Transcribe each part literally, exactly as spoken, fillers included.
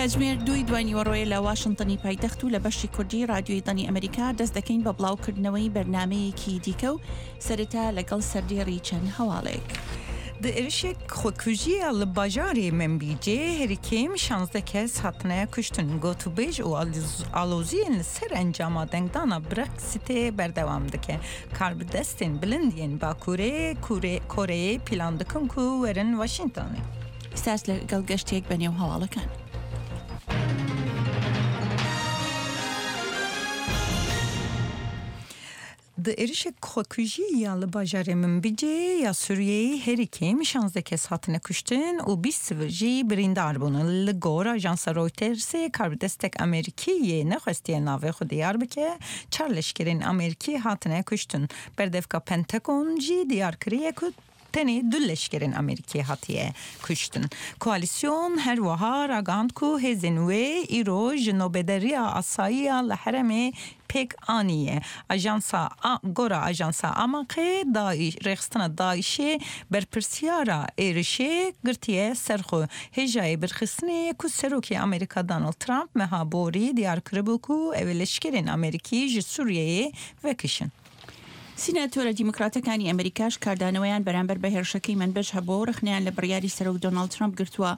کاتژمێر دووی دوانیوەڕۆیە لە واشنتنی پایتەخت و لە بەشی کوردی رادیۆی دەنگی ئەمریکا دەست دەکەین بە بڵاوکردنەوەی بەرنمەیەکی دیکە و سەرەتا لەگەڵ سەردێڕی چەند هەواڵێک. Di êrişek xwekujiya li bajarê Minbicê herî kêm şanzdeh kes hatine kuştin. Gotûbêj û aloziyên li ser encama dengdana Brexitê berdewam dike. Karbidestên bilind yên Bakurê Koreyê plan dikin ku werin Washingtonê. ئێستاش لەگەڵ گەشتێک بە نێو هەواڵەکان. Di êrişek xwekujî ya li bajarê Minbicê ya Sûriyeyê herî kêm şanzdeh kes hatine kuştin û bîst sivîl jî birîndar bûn. Li gor ajansa Reutersê karbidestek Amerîkî yê nexwestiye navê xwe diyar bike, çar leşkerên Amerîkî hatine kuştin. Berdevka Pentagon jî diyar kiriye ku tenê du leşkerên Amerîkî hatiye kuştin. Koalisyon her wiha ragihand ku hêzên wê îro ji nobederiya asayiya li herêmê pêk aniye. Ajansa gora ajansa Amakê rêxistina Daişê berpirsiyara êrişê girtiye ser xwe. Hêjayê birxistinê ku Serokê Amerîka Donald Trump meha borî diyar kiribû ku ew ê leşkerên Amerîkî ji Sûriyeyê vekişin. سیناتۆرە دیموکراتەکانی ئەمریکاش کاردانەوەیان بەرامبەر بە هێرشەکەی منبج هەبوو و ڕخنیان لە بڕیاری سەرۆک دۆناڵد ترەمپ گرتووە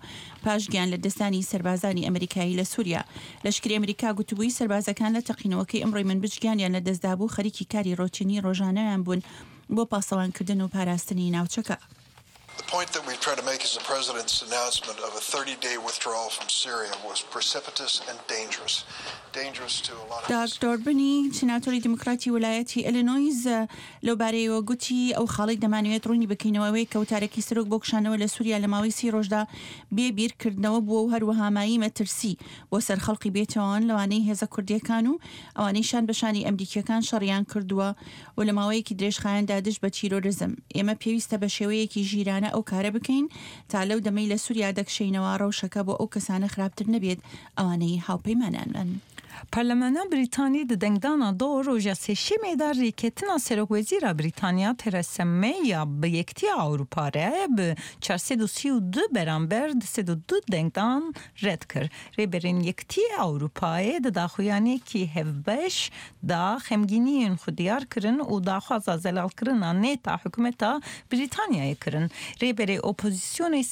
پاش گیان لە دەستانی سەربازانی ئەمریکایی لە سووریا. لەشکری ئەمریکا گوتبووی سەربازەکان لە تەقینەوەکەی ئەمڕۆی منبج گیانیان لە دەستدابوو خەریکی کاری ڕۆتینی ڕۆژانەیان بوون بۆ پاسەوانکردن و پاراستنی ناوچەکە. The point that we've tried to make is the president's announcement of a thirty-day withdrawal from Syria was precipitous and dangerous. Dangerous to a lot of داگ دۆربنی سیناتۆری دیموکراتی ویلایەتی ئەلینۆیز لەو بارەیەوە گوتی ئەو خاڵی دەمانەوێت ڕوونی بکەینەوەوەی کە وتارێکی سەرۆک بۆ کشانەوە لە سووریا لە ماوەی سی ڕۆژدا بێ بیرکردنەوە بووە و هەروەها مایەی مەترسی بۆ سەر خەڵکی بێتاوان لەوانەی هێزە کوردیەکان و ئەوانەی شان بە شانی ئەمریکیەکان شەڕیان کردووە و لە ماوەیەکی درێژخایەندا دژ بە تیرۆریزم. ئێمە پێویستە بە شێوەیەکی ژیرانە ئەو کارە بکەین تا لەو دەمەی لە سووریا دەکشینەوە ڕەوشەکە بۆ ئەو کەسانە خراپتر نەبێت ئەوانەی هاوپەیمانانن. Parlamena Brîtanî di dengdana do roja sêşemê de rêketina Serokwezîra Brîtanya Theresa May ya bi Yekîtiya Ewropa re bi çar sed û sî û du beramber du sed û du dengdan red kir. Rêberên Yekîtiya Ewropayê di daxuyaniyekî hevbeş da xemgîniyên xwe diyar kirin û daxwaza zelalkirina nêta hikûmeta Brîtanyayê kirin. Rêberê opozisyonê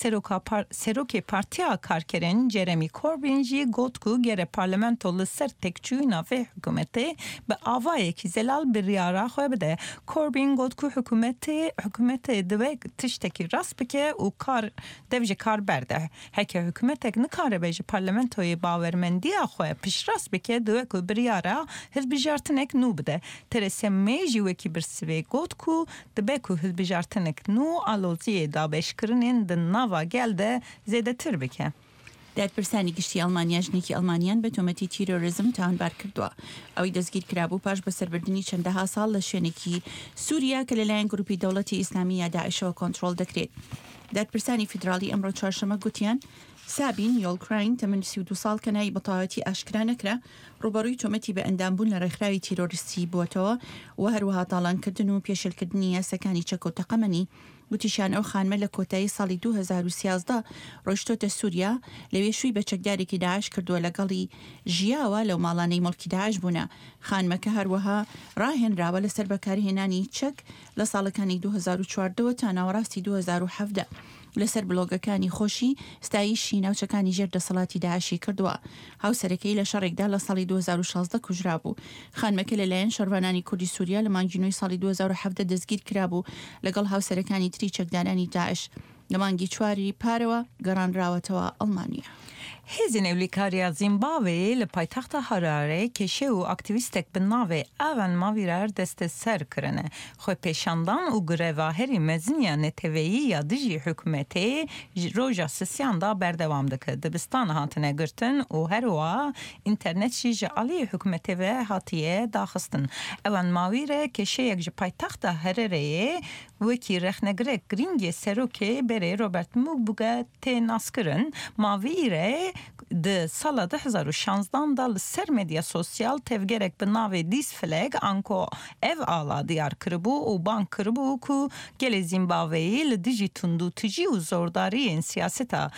Serokê Partiya Karkerên Jeremy Corbyn jî got ku gere parlamento li ser têkçûyîna vê hikûmetê bi awayekî zelal biryara xwe bide. Corbyn got ku hikûmetê hikûmetê divê tiştekî rast bike û kar dev ji kar berde. Heke hikûmetek nikaribe ji parlamentoyê bawermendiya xwe piştrast bike divê ku biryara hilbijartinek nû bide. Theresa May jî wekî bersivê got ku dibe ku hilbijartinek nû aloziyê dabeşkirinên di nava gel de zêdetir bike. دادپرسانی گشتی ئەڵمانیا ژنێکی ئەڵمانیان بە تۆمەتی تیرۆریزم تاوانبار کردووە. ئەوەی دەستگیر کرابوو پاش بەسەربردنی چەندەها ساڵ لە شوێنێکی سووریا کە لەلایەن گروپی دەوڵەتی ئیسلامی یا داعشەوە کۆنترۆڵ دەکرێت. دادپرسانی فیدراڵی ئەمڕۆ چوارشەممە گوتیان سابین یۆڵکراین تەمەن سی و دوو ساڵ کە ناوی بەتەواوەتی ئاشکرا نەکرا ڕووبەڕووی تۆمەتی بە ئەندامبوون لە ڕێکخراوی تیرۆریستی بووەتەوە و هەروەها تاڵانکردن و پێشلکردنی یاساکانی چەک و تەقەمەنی. گوتیشیان ئەو خانمە لە کۆتایی ساڵی دوو هەزار و سیازدە ڕۆیشتۆتە سووریا، لەوێ شووی بە چەکدارێکی داعش کردووە لەگەڵی ژیاوە لەو ماڵانەی مڵکی داعش بوونە. خانمەکە هەروەها ڕاهێنراوە لەسەر بەکارهێنانی چەک لە ساڵەکانی دوو هەزار و چواردەوە تا ناوەڕاستی دوو هەزار و حەڤدە. لەسەر بلۆگەکانی خۆشی ستایشی ناوچەکانی ژێر دەسەڵاتی داعشی کردووە. هاوسەرەکەی لە شەڕێکدا لە ساڵی دوو هەزار و شازدە کوژرابوو. خانمەکە لەلایەن شەڕڤانانی کوردی سووریا لە مانگی نۆی ساڵی دوو هەزار و حەڤدە دەستگیر کرابوو لەگەڵ هاوسەرەکانی تری چەکدارانی داعش. لە مانگی چواری پارەوە گەڕانراوەتەوە ئەڵمانیا. Hêzên ewlekariya Zîmbabweyê li paytexta Harare keşe û aktîvîstek bi navê Evan Mavîrer desteser kirine. Xwepêşandan û greva herî mezin ya neteweyî ya dijî hikûmetê roja sisiyan da berdewam dike. Dibistan hatine girtin û her wiha înternet jî ji aliyê hikûmetê ve hatiye daxistin. Evan Mavîre keşeyek ji paytexta Harareyê wekî rexnegirek girîngê serokê berê Robert Mugabe tê naskirin. Mavîre di sala du hezar û şanzdan da li ser medya sosyal tevgerek bi navê This Flag anko ev ala diyar kiribû û bang kiribû ku gelê Zîmbabweyê li dijî tundûtûjî û zordariyên siyaseta